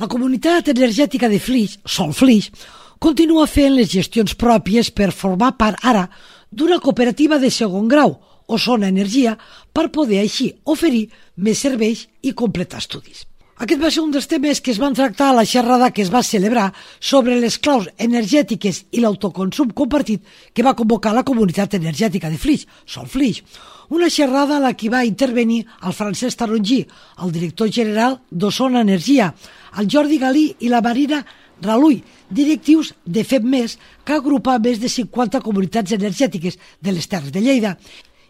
La comunitat energètica de Flix, Solflix, continua fent les gestions pròpies per formar part ara d'una cooperativa de segon grau, Osona Energia, per poder així oferir més serveis i completar estudis. Aquest va ser un dels temes que es van tractar a la xerrada que es va celebrar sobre les claus energètiques i l'autoconsum compartit que va convocar la comunitat energètica de Flix, Solflix. Una xerrada a la que va intervenir el Francesc Tarongí, el director general d'Osona Energia, el Jordi Galí i la Marina Raluy, directius de FEMMES, que agrupa més de 50 comunitats energètiques de les Terres de Lleida,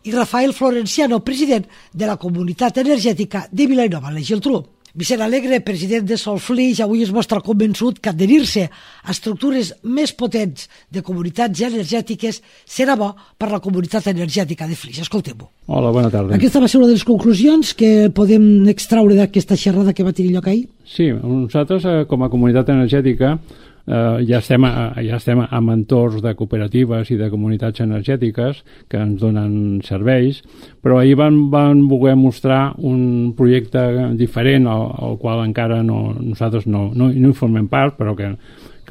i Rafael Florenciano, president de la comunitat energètica de Vilanova i la Geltrú. Vicent Alegre, president de Solflix, avui es mostra convençut que adherir-se a estructures més potents de comunitats energètiques serà bo per la comunitat energètica de Flix. Escoltem-ho. Hola, bona tarda. Aquesta va ser una de les conclusions que podem extraure d'aquesta xerrada que va tenir lloc ahir? Sí, nosaltres com a comunitat energètica ja estem en entorns de cooperatives i de comunitats energètiques que ens donen serveis, però ahir van voler mostrar un projecte diferent al qual encara nosaltres no hi formem part, però que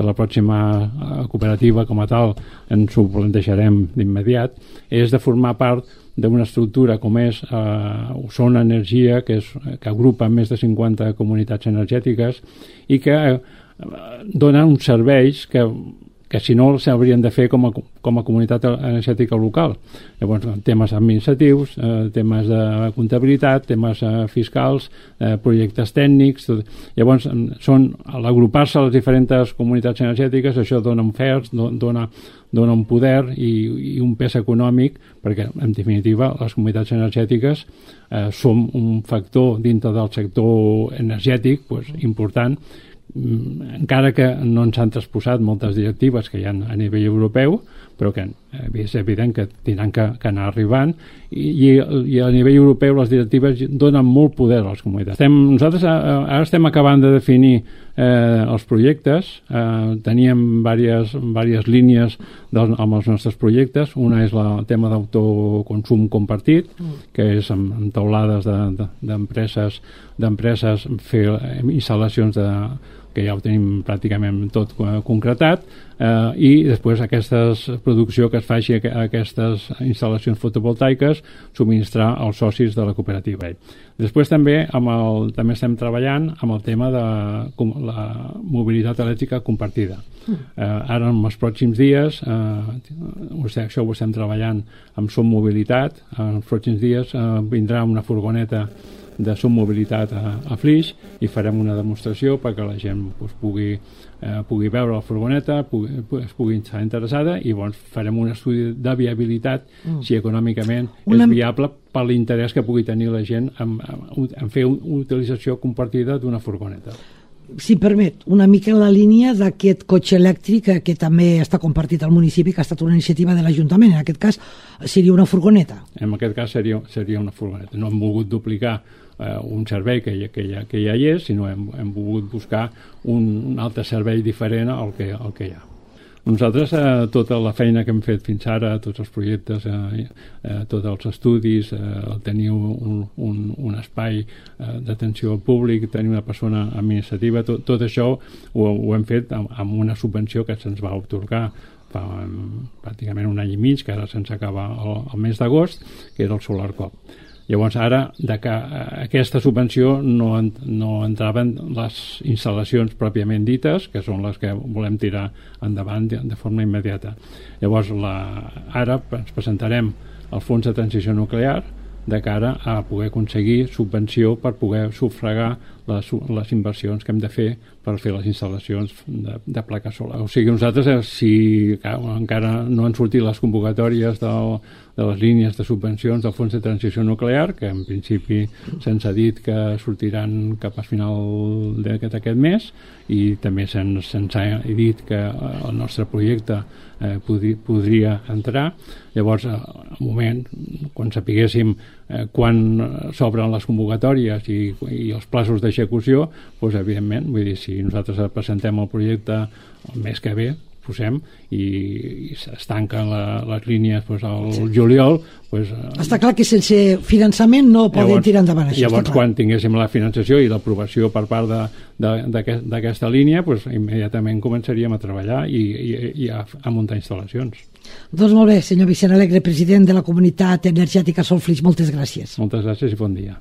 la pròxima cooperativa com a tal ens ho plantejarem d'immediat, és de formar part d'una estructura com és Osona Energia, que agrupa més de 50 comunitats energètiques i que donen uns serveis que si no s'haurien de fer com a comunitat energètica local. Llavors, temes administratius, temes de comptabilitat, temes fiscals, projectes tècnics. Llavors, a l'agrupar-se a les diferents comunitats energètiques, això dona oferts, dona un poder i un pes econòmic, perquè, en definitiva, les comunitats energètiques som un factor dintre del sector energètic important, encara que no ens han transposat moltes directives que hi ha a nivell europeu, però que és evident que tindran que anar arribant i a nivell europeu les directives donen molt poder a les comunitats. Nosaltres ara estem acabant de definir els projectes, teníem diverses línies amb els nostres projectes. Una és el tema d'autoconsum compartit, que és amb taulades d'empreses fer instal·lacions que ja ho tenim pràcticament tot concretat, i després aquesta producció que es faci a aquestes instal·lacions fotovoltaiques subministrar als socis de la cooperativa. Després també estem treballant amb el tema de la mobilitat elèctrica compartida. Ara en els pròxims dies, això ho estem treballant amb Som Mobilitat, en els pròxims dies vindrà una furgoneta de Som Mobilitat a Flix i farem una demostració perquè la gent pugui veure la furgoneta, es pugui estar interessada, i farem un estudi de viabilitat si econòmicament és viable per l'interès que pugui tenir la gent en fer una utilització compartida d'una furgoneta. Si permet, una mica en la línia d'aquest cotxe elèctric que també està compartit al municipi, que ha estat una iniciativa de l'Ajuntament. En aquest cas seria una furgoneta. En aquest cas seria una furgoneta. No hem volgut duplicar un servei que ja hi és, sinó hem volgut buscar un altre servei diferent al que hi ha. Nosaltres, tota la feina que hem fet fins ara, tots els projectes, tots els estudis, tenir un espai d'atenció al públic, tenir una persona administrativa, tot això ho hem fet amb una subvenció que se'ns va atorgar fa pràcticament un any i mig, que ara se'ns acaba el mes d'agost, que era el SolarCop. Llavors, ara, que aquesta subvenció no entraven les instal·lacions pròpiament dites, que són les que volem tirar endavant de forma immediata. Llavors, ara ens presentarem al Fons de Transició Nuclear de cara a poder aconseguir subvenció per poder sufragar les inversions que hem de fer per fer les instal·lacions de plaques solars. O sigui, nosaltres, si encara no han sortit les convocatòries de les línies de subvencions del Fons de Transició Nuclear, que en principi se'ns ha dit que sortiran cap a final d'aquest mes, i també se'ns ha dit que el nostre projecte podria entrar. Llavors, al moment, quan sapiguéssim quan s'obren les convocatòries i els plaços d'execució, doncs, evidentment, vull dir, si nosaltres presentem el projecte el mes que ve, posem i es tanquen les línies al juliol. Està clar que sense finançament no podem tirar endavant això. Llavors, quan tinguéssim la finançació i l'aprovació per part d'aquesta línia, immediatament començaríem a treballar i a muntar instal·lacions. Doncs molt bé, senyor Vicent Alegre, president de la Comunitat Energètica Solflix, moltes gràcies. Moltes gràcies i bon dia.